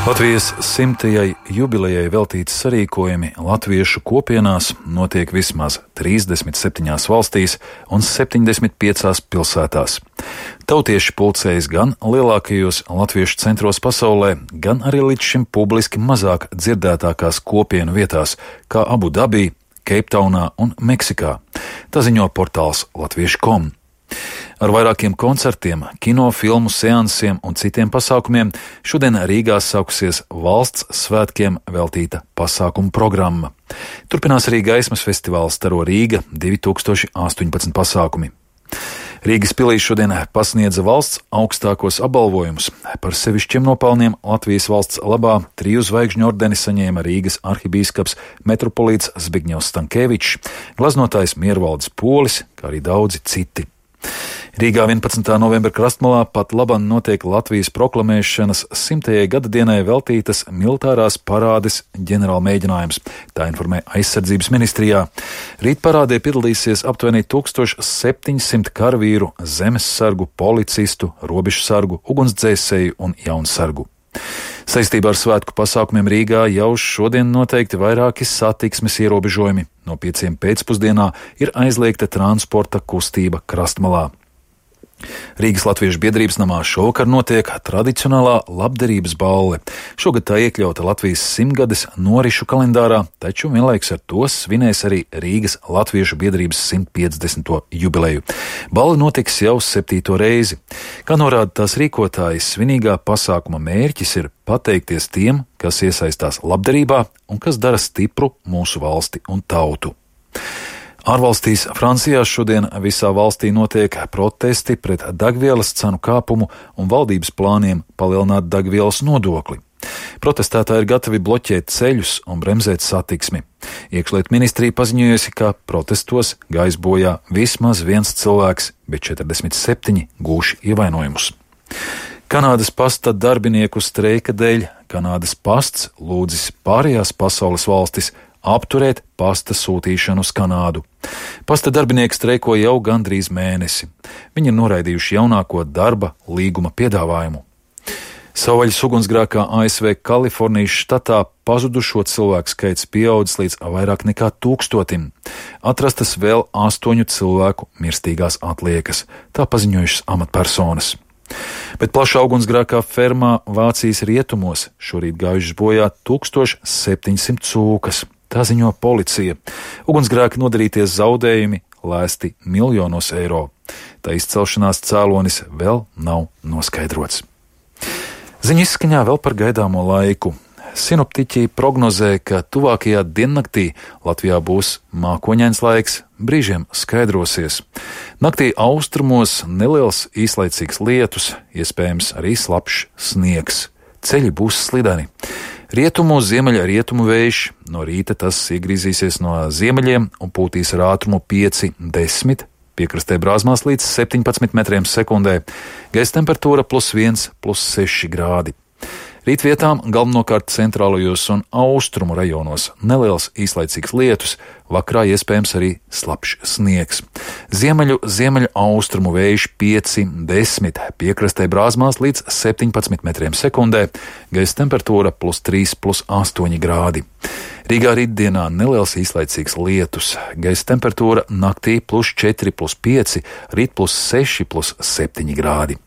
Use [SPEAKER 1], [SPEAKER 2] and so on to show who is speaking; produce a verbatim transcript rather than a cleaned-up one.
[SPEAKER 1] Latvijas simtajai jubilejai veltīti sarīkojumi latviešu kopienās notiek vismaz trīsdesmit septiņās valstīs un septiņdesmit piecās pilsētās. Tautieši pulcējas gan lielākajos latviešu centros pasaulē, gan arī līdz šim publiski mazāk dzirdētākās kopienu vietās, kā Abu Dabī, Keiptaunā un Meksikā. Tā ziņo portāls latviešu punktu com. Ar vairākiem koncertiem, kino, filmu seansiem un citiem pasākumiem šodien Rīgā sākusies valsts svētkiem veltīta pasākumu programma. Turpinās arī gaismas festivāls Staro Rīga divi tūkstoši astoņpadsmit pasākumi. Rīgas pilī šodien pasniedza valsts augstākos apbalvojumus. Par sevišķiem nopelniem Latvijas valsts labā triju zvaigžņu ordeni saņēma Rīgas arhibīskaps metropolīts Zbigņevs Stankēvičs, glaznotājs Miervaldis Polis, kā arī daudzi citi. Rīgā vienpadsmitā novembra krastmalā pat labam notiek Latvijas proklamēšanas simtajai gada dienai veltītas militārās parādes ģenerāla mēģinājums, tā informē aizsardzības ministrijā. Rīt parādē piedalīsies aptuveni tūkstoš septiņsimt karavīru, zemessargu, policistu, robežsargu, ugunsdzēsēju un jaunsargu. Saistībā ar svētku pasākumiem Rīgā jau šodien noteikti vairāki satiksmes ierobežojumi. No pieciem pēcpusdienā ir aizliegta transporta kustība krastmalā. Rīgas Latviešu biedrības namā šovakar notiek tradicionālā labdarības balle. Šogad tā iekļauta Latvijas simtgades norišu kalendārā, taču vienlaikus ar to svinēs arī Rīgas Latviešu biedrības simt piecdesmito jubileju. Balle notiks jau septīto reizi. Kā norāda tās rīkotājs, svinīgā pasākuma mērķis ir pateikties tiem, kas iesaistās labdarībā un kas dara stipru mūsu valsti un tautu. Ārvalstīs Francijā šodien visā valstī notiek protesti pret degvielas cenu kāpumu un valdības plāniem palielināt degvielas nodokli. Protestētāji ir gatavi bloķēt ceļus un bremzēt satiksmi. Iekšlietu ministrija paziņojusi, ka protestos gājis bojā vismaz viens cilvēks, bet četrdesmit septiņi gūši ievainojumus. Kanādas pasta darbinieku streika dēļ Kanādas pasts lūdzis pārējās pasaules valstis apturēt pasta sūtīšanu uz Kanādu. Pasta darbinieki streiko jau gandrīz mēnesi. Viņi ir noraidījuši jaunāko darba līguma piedāvājumu. Savvaļas ugunsgrēkā A S V Kalifornijas štatā pazudušo cilvēku skaits pieaudzis līdz vairāk nekā tūkstotim. Atrastas vēl astoņu cilvēku mirstīgās atliekas, tā paziņojušas amatpersonas. Bet plašā ugunsgrēkā fermā Vācijas rietumos šorīt gājušas bojā tūkstoš septiņsimt cūkas. Tā ziņo policija. Ugunsgrēka nodarītie zaudējumi lēsti miljonos eiro. Tā izcelšanās cēlonis vēl nav noskaidrots. Ziņa izskaņā vēl par gaidāmo laiku. Sinoptiķi prognozē, ka tuvākajā diennaktī Latvijā būs mākoņains laiks, brīžiem skaidrosies. Naktī austrumos neliels īslaicīgs lietus, iespējams arī slapjš sniegs. Ceļi būs slideni. Rietumu ziemeļa rietumu vējš, no rīta tas iegrīzīsies no ziemeļiem un pūtīs ar ātrumu pieci desmit, piekrastē brāzmās līdz septiņpadsmit metriem sekundē, gaisa temperatūra plus viens, plus seši grādi. Rīt vietām galvenokārt centrālajos un austrumu rajonos neliels īslaicīgs lietus, vakarā iespējams arī slapjš sniegs. Ziemeļu ziemeļu austrumu vējš pieci desmit, piekrastē brāzmās līdz septiņpadsmit metriem sekundē, gaisa temperatūra plus trīs, plus astoņi grādi. Rīgā rītdienā neliels īslaicīgs lietus, gaisa temperatūra naktī plus četri, plus pieci, rīt plus seši, plus septiņi grādi.